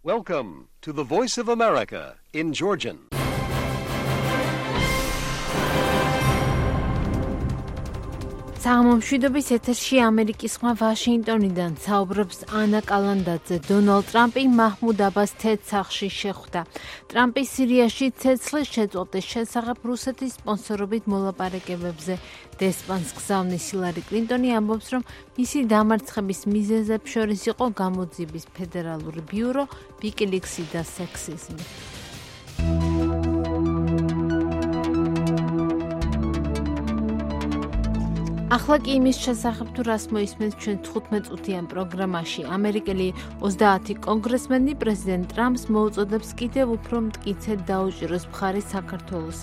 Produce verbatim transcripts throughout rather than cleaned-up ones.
Welcome to the Voice of America in Georgian. საღამომშვიდობის ეთერში ამერიკის ხმა ვაშინგტონიდან საუბრობს ანა კალანდაძე. დონალდ ტრამპი მაჰმუდ აბას თეთრ სახლში შეხვდა. ტრამპი სირიაში ცეცხლის შეწყვეტის შესახებ რუსეთის სპონსორობით მოლაპარაკებებზე დესპანს გზავნის. ჰილარი კლინტონი ამბობს, რომ მისი დამარცხების მიზეზებს შორის იყო გამოძიების ფედერალური ბიურო, ვიკილიქსი და სექსიზმი. ახლა კი იმის შესახებ თუ რას მოისმენთ ჩვენ თხუთმეტ წუთიან პროგრამაში. ამერიკელი ოცდაათი კონგრესმენი პრეზიდენტ ტრამპს მოუწოდებს კიდევ უფრო მტკიცედ დაუჭიროს მხარი საქართველოს.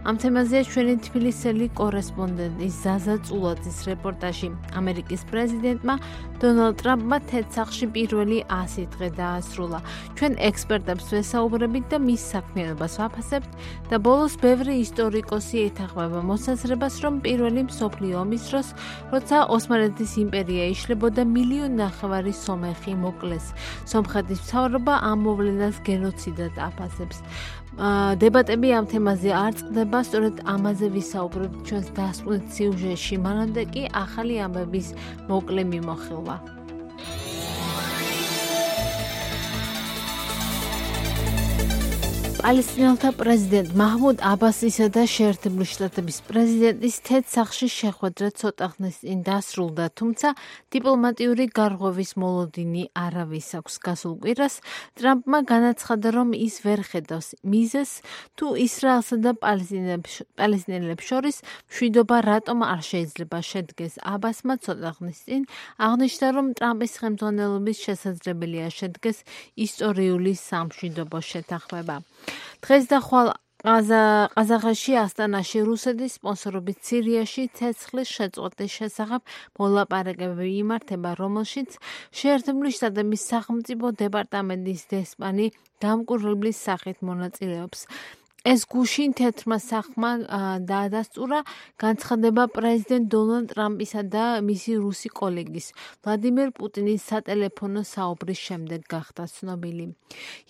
ამ თემაზეა ჩვენი თბილისელი კორესპონდენტი ზაზა წულაძის რეპორტაჟი. ამერიკის პრეზიდენტმა დონალდ ტრამპმა თეთრ სახლში პირველი ასი დღე დაასრულა. ჩვენ ექსპერტებს ვესაუბრებით და მის საქმიანობას ვაფასებთ და ბოლოს ბევრი ისტორიკოსი ეთანხმება მოსაზრებას, რომ პირველი მსოფლიო ომის დროს როცა ოსმალეთის იმპერია იშლებოდა მილიონ ნახევარი სომეხი მოკლეს. სომხეთის მთავრობა ამ მოვლენას გენოციდად აფასებს. დებატები ამ თემაზე არ წყდება, სწორედ ამაზე ვისაუბრებთ ჩვენს დასკვნით სიუჟეტში. მანამდე კი ახალი ამბების მოკლე მიმოხილვა. პალესტინელთა პრეზიდენტ მაჰმუდ აბასისა და შეერთებული შტატების პრეზიდენტის თეთრ სახლში შეხვედრა ცოტა ხნის წინ დასრულდა, თუმცა დიპლომატიური გარღვევის მოლოდინი არავის აქვს. გასულ კვირას ტრამპმა განაცხადა, რომ ის ვერ ხედავს მიზეზს, თუ ისრაელსა და პალესტინელებს შორის მშვიდობა რატომ არ შეიძლება შედგეს. აბასმა ცოტა ხნის წინ აღნიშნა, რომ ტრამპის ხელმძღვანელობის შესაძლებელია შედგეს ისტორიული სამშვიდობო შეთანხმება. დღეს და ხვალ ყაზახეთში ასტანაში რუსეთის სპონსორობით სირიაში ცეცხლის შეწყვეტის შესახებ მოლაპარაკებები იმართება, რომელშიც შეერთებული შტატების სახელმწიფო დეპარტამენტის დესპანი დამკვირვებლის სახით მონაწილეობს. ეს გუშინ თეთრმა სახლმა დაადასტურა განცხადება პრეზიდენტ დონალდ ტრამპისა და მისი რუსი კოლეგის ვლადიმერ პუტინის სატელეფონო საუბრის შემდეგ გახდა ცნობილი.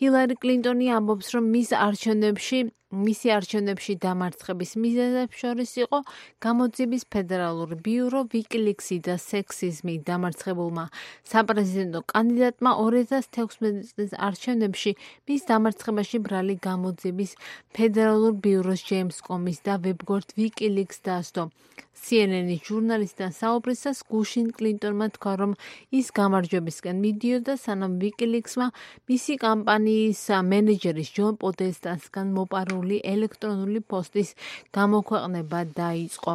ჰილარი კლინტონი ამბობს, რომ მის არჩევნებში მისი არჩევნებში დამარცხების მიზეზებს შორის იყო გამოძიების ფედერალური ბიურო, ვიკილიქსი და სექსიზმი. დამარცხებულმა საპრეზიდენტო კანდიდატმა ორი ათას თექვსმეტი წლის არჩევნებში მის დამარცხებაში ბრალი გამოძიების ფედერალურ ბიუროს ჯეიმს კომის და ვებგვერდ ვიკილიքს დაასდო. სი ენ ენის ჟურნალისტთან საუბრისას გუშინ კლინტონმა თქვა, რომ ის გამარჯვებისკენ მიდიოდა, სანამ ვიკილიქსმა მისი კამპანიის მენეჯერის ჯონ პოდესტასგან მოპარული ელექტრონული პოსტის გამოქვეყნება დაიწყო.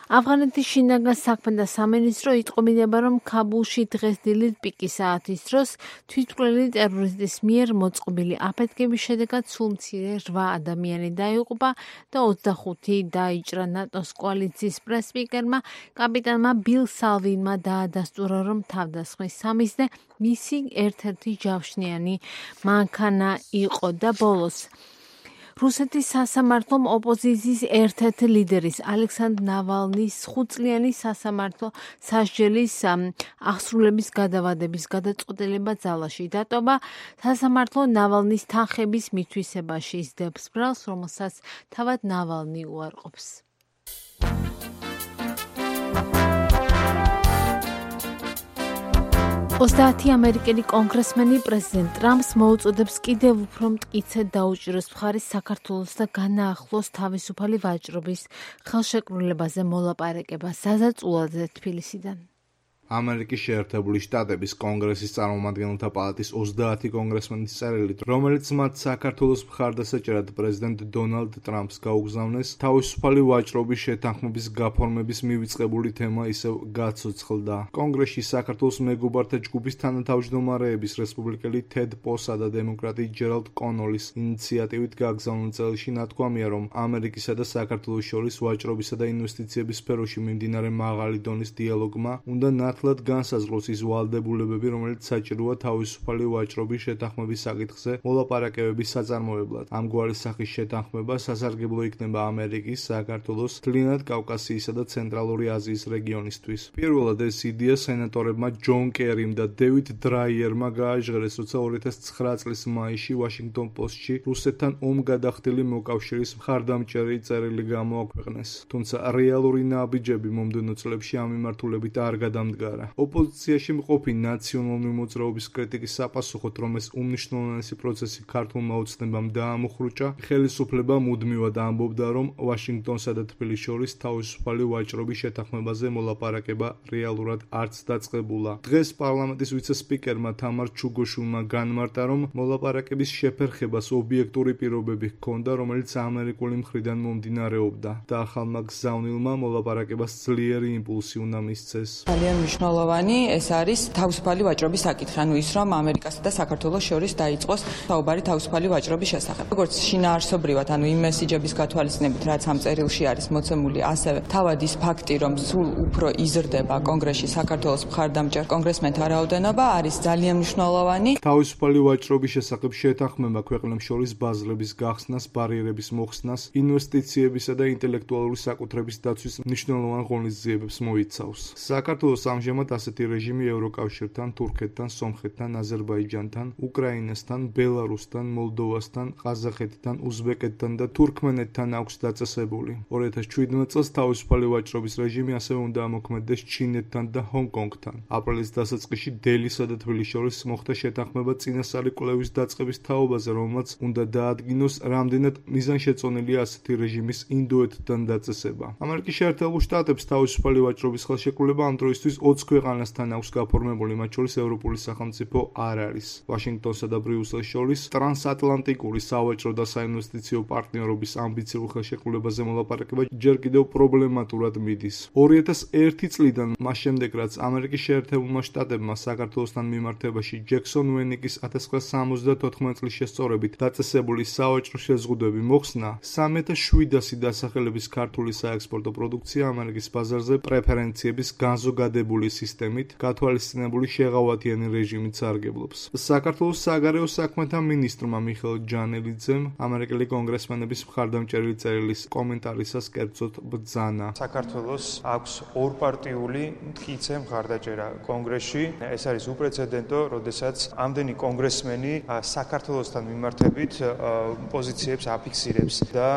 ავღანეთის შინაგან საქმეთა სამინისტრო იტყობინება, რომ ქაბულში დღეს დილით პიკის საათის დროს თვითმკვლელი ტერორისტის მიერ მოწყობილი აფეთქების შედეგად სულ მცირე რვა ადამიანი დაიღუპა და ოცდახუთი დაიჭრა. ნატოს კოალიციის პრესსპიკერმა კაპიტანმა ბილ სალვინმა დაადასტურა, რომ თავდასხმის სამიზნე მისი ერთ-ერთი ჯავშნიანი მანქანა იყო და ბოლოს რუსეთის სასამართლომ ოპოზიციის ერთ-ერთი ლიდერის ალექსანდრ ნავალნის ხუთწლიანი სასამართლო სასჯელის აღსრულების გადავადების გადაწყვეტილება ძალაში დატოვა. სასამართლო ნავალნის თანხების მითვისებაში ისდებს ბრალს, რომელსაც თავად ნავალნი უარყოფს. ოცდაათი ამერიკელი კონგრესმენი პრეზიდენტ ტრამპს მოუწოდებს კიდევ უფრო მტკიცედ დაუჭიროს მხარი საქართველოს და განაახლოს თავისუფალი ვაჭრობის ხელშეკრულებაზე მოლაპარაკება. ზაზა წულაძე თბილისიდან. ამერიკის შეერთებული შტატების კონგრესის წარმომადგენელთა პალატის ოცდაათი კონგრესმენის წერილით, რომელიც მათ საქართველოს მხარდასაჭერად პრეზიდენტ დონალდ ტრამპს გაუგზავნეს, თავისუფალი ვაჭრობის შეთანხმების გაფორმების მივიწყებული თემა ისევ გაცოცხლდა. კონგრესში საქართველოს მეგობართა ჯგუფის თანათავმჯდომარეების რესპუბლიკელი თედ პოსა და დემოკრატი ჯერალდ კონოლის ინიციატივით გაგზავნილ წერილში ნათქვამია, რომ ამერიკისა და საქართველოს შორის ვაჭრობისა და ინვესტიციების სფეროში მიმდინარე მაღალი დონის დიალოგმა უნდა მართლად განსაზღვროს ის ვალდებულებები, რომელიც საჭიროა თავისუფალი ვაჭრობის შეთანხმების საკითხზე მოლაპარაკებების საწარმოებლად. ამგვარი სახის შეთანხმება სასარგებლო იქნება ამერიკის, საქართველოს, მთლიანად კავკასიისა და ცენტრალური აზიის რეგიონისთვის. პირველად ეს იდეა სენატორებმა ჯონ კერიმ და დევიდ დრაიერმა გააჟღერეს, როცა ორი ათას ცხრა წლის მაისში ვაშინგტონ პოსტში რუსეთთან ომგადახდილი მოკავშირის მხარდამჭერი წერილი გამოაქვეყნეს. თუმცა რეალური ნაბიჯები მომდევნო წლებში ამ მიმართულებით არ გადამდგარა. ოპოზიციაში მყოფი ნაციონალური მოძრაობის კრიტიკის საპასუხოდ, რომ ეს უმნიშვნელოვანესი პროცესი ქართულმა ოცნებამ დაამოხრუჭა, ხელისუფლება მუდმივად ამბობდა, რომ ვაშინგტონსა და თბილისს შორის თავისუფალი ვაჭრობის შეთანხმებაზე მოლაპარაკება რეალურად არც დაწყებულა. დღეს პარლამენტის ვიცე-სპიკერმა თამარ ჩუგოშვილმა განმარტა, რომ მოლაპარაკების შეფერხებას ობიექტური პირობები ჰქონდა, რომელიც ამერიკული მხრიდან მომდინარეობდა და ახალმა გზავნილმა მოლაპარაკებას ძლიერი იმპულსი უნდა მისცეს. ძალიან მნიშვნელოვანი ეს არის თავისუფალი ვაჭრობის საკითხი, ანუ ის რომ ამერიკასა და საქართველოს შორის დაიწყოს საუბარი თავისუფალი ვაჭრობის შესახებ. როგორც შინაარსობრივად, ანუ იმ მესიჯების გათვალისწინებით, რაც ამ წერილში არის მოცემული, ასევე თავად ის ფაქტი, რომ სულ უფრო იზრდება კონგრესში საქართველოს მხარდამჭერ კონგრესმენთა რაოდენობა, არის ძალიან მნიშვნელოვანი. თავისუფალი ვაჭრობის შესახებ შეთანხმება ქვეყნებს შორის ბაზრების გახსნას, ბარიერების მოხსნას, ინვესტიციებისა და ინტელექტუალური საკუთრების დაცვის მნიშვნელოვან ღონისძიებებს მოიცავს. საქართველოს ამჟამად ასეთი რეჟიმი ევროკავშირთან, თურქეთთან, სომხეთთან, აზერბაიჯანთან, უკრაინასთან, ბელარუსთან, მოლდოვასთან, ყაზახეთთან, უზბეკეთთან და თურქმენეთთან აქვს დაწესებული. ორი ათას ჩვიდმეტ წელს თავისუფალი ვაჭრობის რეჟიმი ასევე უნდა ამოქმედდეს ჩინეთთან და ჰონგ-კონგთან. აპრილის დასაწყისში დელისა და თბილისის შორის მოხდა შეთანხმება წინასწარი კვლევის დაწყების თაობაზე, რომელმაც უნდა დაადგინოს, რამდენად მიზანშეწონილია ასეთი რეჟიმის ინდოეთთან დაწესება. ამერიკის შეერთებულ შტატებს თავისუფალი ვაჭრობის ხელშეკრულება ამ დროისთვის ოცი ქვეყანასთან აქვს გაფორმებული, მათ შორის ევროპული სახელმწიფო არ არის. ვაშინგტონსა და ბრიუსელს შორის ტრანსატლანტიკური სავაჭრო და საინვესტიციო პარტნიორობის ამბიციურ ხელშეკრულებაზე მოლაპარაკება ჯერ კიდევ პრობლემატურად მიდის. ორი ათას ერთი წლიდან, მას შემდეგ რაც ამერიკის შეერთებულმა შტატებმა საქართველოსთან მიმართებაში ჯექსონ უენიკის ათას ცხრაასი სამოცდათოთხმეტ წლის შესწორებით დაწესებული სავაჭრო შეზღუდვები მოხსნა, სამი ათას შვიდასი დასახელების ქართული საექსპორტო პროდუქცია ამერიკის ბაზარზე პრეფერენციების განზოგადებული სისტემით, გათვალისწინებული შეღავათიანი რეჟიმით სარგებლობს. საქართველოს საგარეო საქმეთა მინისტრმა მიხეილ ჯანელიძემ ამერიკელი კონგრესმენების მხარდამჭერილი წერილის კომენტარისას კერძოდ ბრძანა. საქართველოს აქვს ორპარტიული მტკიცე მხარდაჭერა კონგრესში. ეს არის უპრეცედენტო, როდესაც ამდენი კონგრესმენი საქართველოსთან მიმართებით პოზიციებს აფიქსირებს და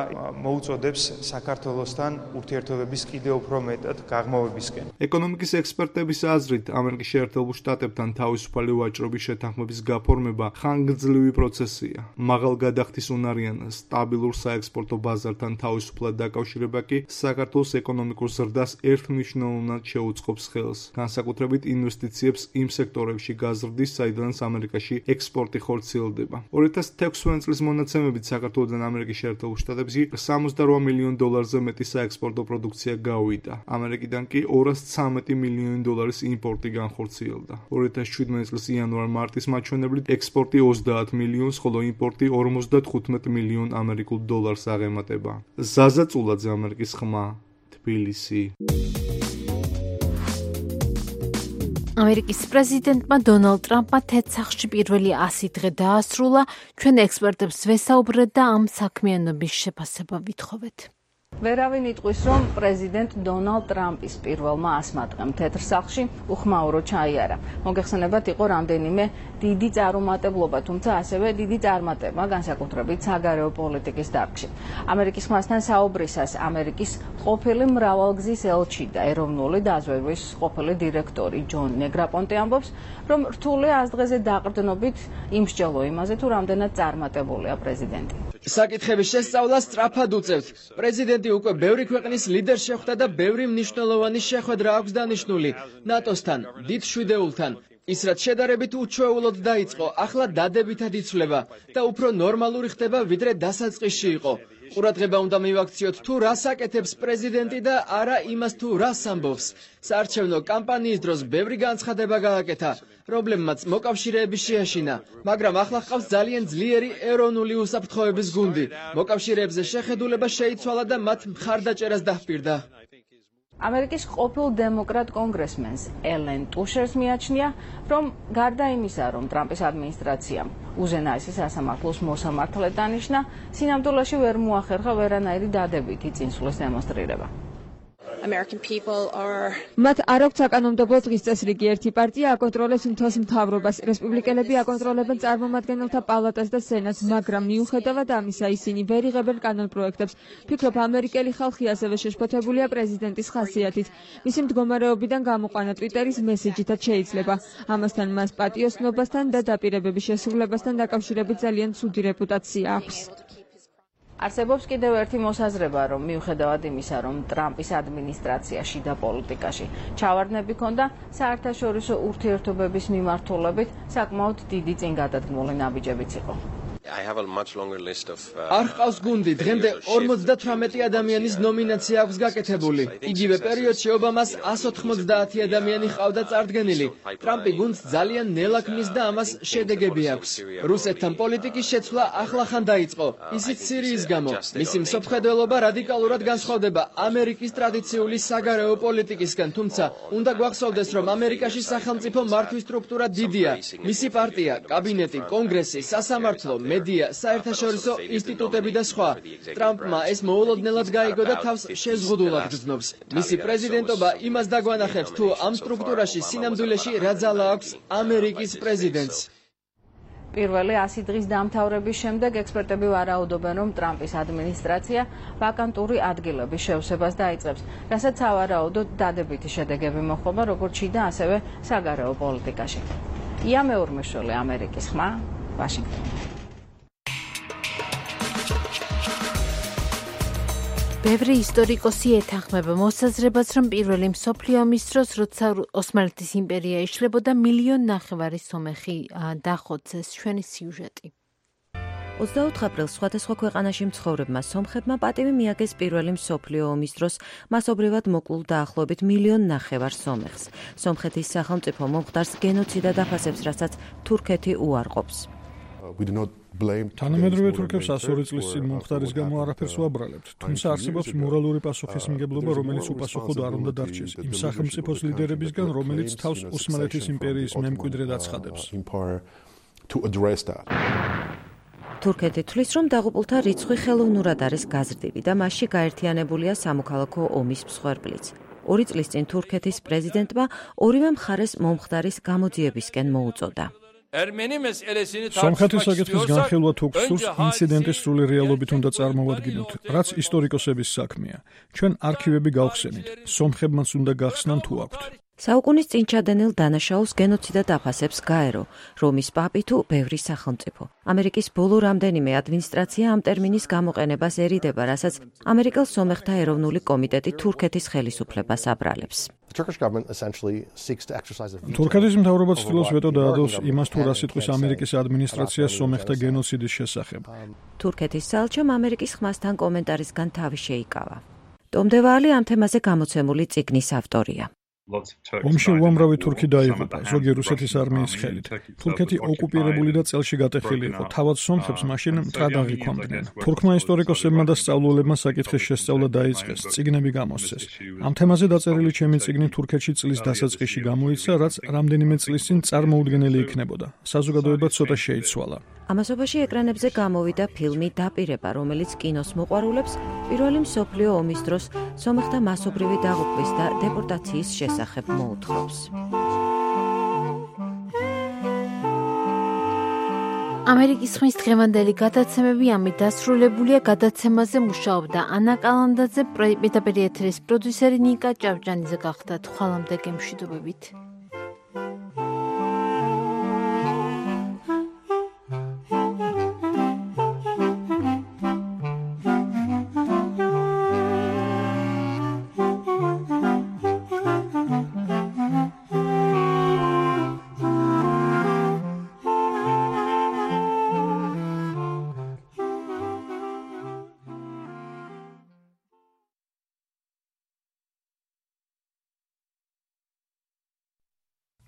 მოუწოდებს საქართველოსთან ურთიერთობების კიდევ უფრო მეტად გაღმავებისკენ. ეკონომიკის ექსპერტების აზრით, ამერიკის შეერთებულ შტატებთან თავისუფალი ვაჭრობის შეთანხმების გაფორმება ხანგრძლივი პროცესია. მაღალ გადახდის უნარიან სტაბილურ საექსპორტო ბაზართან თავისუფლად დაკავშირება კი საქართველოს ეკონომიკურ ზრდას ერთმნიშვნელოვნად შეუწყობს ხელს, განსაკუთრებით ინვესტიციებს იმ სექტორებში გაზრდის, საიდანაც ამერიკაში ექსპორტი ხორციელდება. ორი ათას თექვსმეტ წლის მონაცემებით საქართველოდან ამერიკის შეერთებულ შტატებში სამოცდარვა მილიონ დოლარზე მეტი საექსპორტო პროდუქცია გავიდა. ამერიკიდან კი ორასი ცხრამეტი მილიონი დოლარის იმპორტი განხორციელდა. ორი ათას შვიდმეტ წლის იანვარ-მარტის მაჩვენებლით ექსპორტი ოცდაათ მილიონს, ხოლო იმპორტი ორმოცდათხუთმეტ მილიონ ამერიკულ დოლარს აღემატება. ზაზა წულაძე, ამერიკის ხმა, თბილისი. ამერიკის პრეზიდენტმა დონალდ ტრამპმა თეთ სახლში პირველი ასი დღე დაასრულა. ჩვენ ექსპერტებს ვესაუბრეთ და ამ საქმიანობის შეფასება ვითხოვეთ. ვერავინ იტყვის, რომ პრეზიდენტ დონალდ ტრამპის პირველმა ასმა დღემ თეთრ სახლში უხმაურო ჩაიარა. მოგეხსენებათ, იყო რამდენიმე დიდი წარუმატებლობა, თუმცა ასევე დიდი წარმატება, განსაკუთრებით საგარეო პოლიტიკის დარგში. ამერიკის ხმასთან საუბრისას ამერიკის ყოფილი მრავალგზის ელჩი და ეროვნული დაზვერვის ყოფილი დირექტორი ჯონ ნეგრაპონტე ამბობს, რომ რთული აზრზე დაყრდნობით იმსჯელო იმაზე, თუ რამდენად წარმატებულია პრეზიდენტი. საკითხების შესწავლას სწრაფად უწევთ. პრეზიდენტი უკვე ბევრი ქვეყნის ლიდერს შეხვდა და ბევრი მნიშვნელოვანი შეხვედრა აქვს დანიშნული ნატოსთან, დიდ შვიდეულთან. ის რაც შედარებით უჩვეულოდ დაიწყო, ახლა დადებითად იცვლება და უფრო ნორმალური ხდება, ვიდრე დასაწყისში იყო. ყურადღება უნდა მივაქციოთ თუ რას აკეთებს პრეზიდენტი და არა იმას თუ რას ამბობს. საარჩევნო კამპანიის დროს ბევრი განცხადება გააკეთა. პრობლემაც მოკავშირეების შეაშინა, მაგრამ ახლა ხავს ძალიან ძლიერი ეროვნული უსაფრთხოების გუნდი. მოკავშირეებზე შეხედულება შეიცვალა და მათ მხარდაჭერას დაჰპირდა. ამერიკის ყოფილ დემოკრატ კონგრესმენს ელენ ტუშერს მიაჩნია, რომ გარდა იმისა, რომ ტრამპის ადმინისტრაციამ უზენაესი სასამართლოს მოსამართლედ დანიშნა, სინამდვილეში ვერ მოახერხა ვერანაირი დადებითი წინსვლის დემონსტრირება. მათ არ აქვს საკანონმდებლო დღის წესრიგი, ერთი პარტია აკონტროლებს მთელს მთავრობას, რესპუბლიკელები აკონტროლებენ წარმომადგენელთა პალატას და სენატს, მაგრამ მიუხედავად ამისა ისინი ვერ იღებენ კანონპროექტებს. ფიქრობ, ამერიკელი ხალხი ასევე შეშფოთებულია პრეზიდენტის ხასიათით. მისი მდგომარეობიდან გამოყვანა ტვიტერის მესიჯითაც შეიძლება. ამასთან მას პატიოსნობასთან და დაპირებების შესრულებასთან დაკავშირებით ძალიან ცუდი რეპუტაცია აქვს. არსებობს კიდევ ერთი მოსაზრება, რომ მიუხედავად იმისა, რომ ტრამპის ადმინისტრაცია შიდა პოლიტიკაში ჩავარდნები ჰქონდა, საერთაშორისო ურთიერთობების მიმართულებით საკმაოდ დიდი წინგადადგმული ნაბიჯებიც იყო. არ ჰყავს გუნდი, დღემდე ორმოცდათვრამეტი ადამიანის ნომინაცია აქვს გაკეთებული. იგივე პერიოდში ობამას εκατს ოთხმოცდაათი ადამიანი ჰყავდა წარდგენილი. ტრამპი გუნდს ძალიან ნელა ქმნის და ამას შედეგები აქვს. რუსეთთან პოლიტიკის შეცვლა ახლახან დაიწყო, ისიც სირიის გამო. მისი მსოფლმხედველობა რადიკალურად განსხვავდება ამერიკის ტრადიციული საგარეო პოლიტიკისგან, თუმცა უნდა გვახსოვდეს, რომ ამერიკაში სახელმწიფო მართვის სტრუქტურა დიდია. მისი პარტია, კაბინეტი, კონგრესი, სასამართლო, მედია, საერთაშორისო ინსტიტუტები და სხვა. ტრამპმა ეს მოულოდნელად გაიგო და თავს შეზღუდულად გრძნობს. მისი პრეზიდენტობა იმას დაგვანახებს, თუ ამ სტრუქტურაში სინამდვილეში რა ძალა აქვს ამერიკის პრეზიდენტს. პირველი ასი დღის დამთავრების შემდეგ ექსპერტები ვარაუდობენ, რომ ტრამპის ადმინისტრაცია ვაკანტური ადგილების შევსებას დაიწყებს, რასაც სავარაუდოდ დადებითი შედეგები მოჰყობა როგორც შიდა, ასევე საგარეო პოლიტიკაში. ია მეორმეშველი, ამერიკის ხმა, ვაშინგტონი. ბევრი ისტორიკოსი ეთანხმება მოსაზრებას, რომ პირველი მსოფლიო ომის დროს, როცა ოსმალეთის იმპერია იშლებოდა, მილიონ ნახევარი სომეხი დახოცეს. ჩვენი სიუჟეტი. ოცდაოთხ აპრილს სხვადასხვა ქვეყანაში მცხოვრებმა სომხებმა პატივი მიაგეს პირველი მსოფლიო ომის დროს მასობრივად მოკლულ დაახლოებით მილიონ ნახევარ სომეხს. სომხეთის სახელმწიფო მომხდარს გენოციდად აფასებს, რასაც თურქეთი უარყოფს. თანამედროვე თურქებს ასორი წლის წინ მომხდარის გამო არაფერს ვაბრალებთ, თუმცა არსებობს მორალური პასუხისმგებლობა, რომელიც უპასუხოდ არ უნდა დარჩეს იმ სახელმწიფოს ლიდერებისგან, რომელიც თავს ოსმალეთის იმპერიის მემკვიდრედ აცხადებს. თურქეთი თვლის, რომ დაღუპულთა რიცხვი ხელოვნურად არის გაზრდილი და მასში გაერთიანებულია სამოქალაქო ომის მსხვერპლიც. ორი წლის წინ თურქეთის პრეზიდენტმა ორივე მხარეს მომხდარის გამოძიებისკენ მოუწოდა. სომხეთის საკითხის განხილვა თუ გსურს, ინციდენტის სრული რეალობით უნდა წარმოვადგინოთ, რაც ისტორიკოსების საქმეა. ჩვენ არქივები გავხსენით, სომხებმაც უნდა გახსნან თუ აქვთ. საუკუნის წინ ჩადენილ დანაშაულს გენოციდად აფასებს გაერო, რომის პაპი თუ ბევრი სახელმწიფო. ამერიკის ბოლო რამდენიმე ადმინისტრაცია ამ ტერმინის გამოყენებას ერიდება, რასაც ამერიკელ სომეხთა ეროვნული კომიტეტი თურქეთის ხელისუფლებას აბრალებს. თურქეთის მთავრობა ცდილობს ვეტო დაადოს იმას, თუ რა სიტყვის ამერიკის ადმინისტრაციას სომეხთა გენოციდის შესახებ. თურქეთის საელჩომ ამერიკის ხმასთან კომენტარისგან თავი შეიკავა. ტომდევალი ამ თემაზე გამოცემული წიგნის ავტორია. ომში უამრავი თურქი დაიღუპა, ზოგი რუსეთის არმიის ხელით. თურქეთი ოკუპირებული და წელში გატეხილი იყო. თავად სომხებს მაშინ მტრად აღიქვამდნენ. თურქმა ისტორიკოსებმა და სწავლულებმა საკითხის შესწავლა დაიწყეს, წიგნები გამოსცეს. ამ თემაზე დაწერილი ჩემი წიგნი თურქეთში წლის დასაწყისში გამოიცა, რაც რამდენიმე წლის წინ წარმოუდგენელი იქნებოდა. საზოგადოება ცოტა შეიცვალა. ამასობაში ეკრანებზე გამოვიდა ფილმი „დაპირება“, რომელიც კინოს მოყვარულებს პირველი მსოფლიო ომის დროს სომეხთა მასობრივი დაღუპვის და დეპორტაციის შესახებ მოუთხრობს. ამერიკის ხმის დღევანდელი გადაცემები ამით დასრულებულია. გადაცემაზე მუშაობდა ანა კალანდაძე, პირდაპირ ეთერის პროდიუსერი ნიკა ჭავჭანიძე გახდათ. ხვალამდე გემშვიდობებით.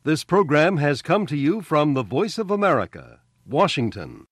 This program has come to you from the Voice of America, Washington.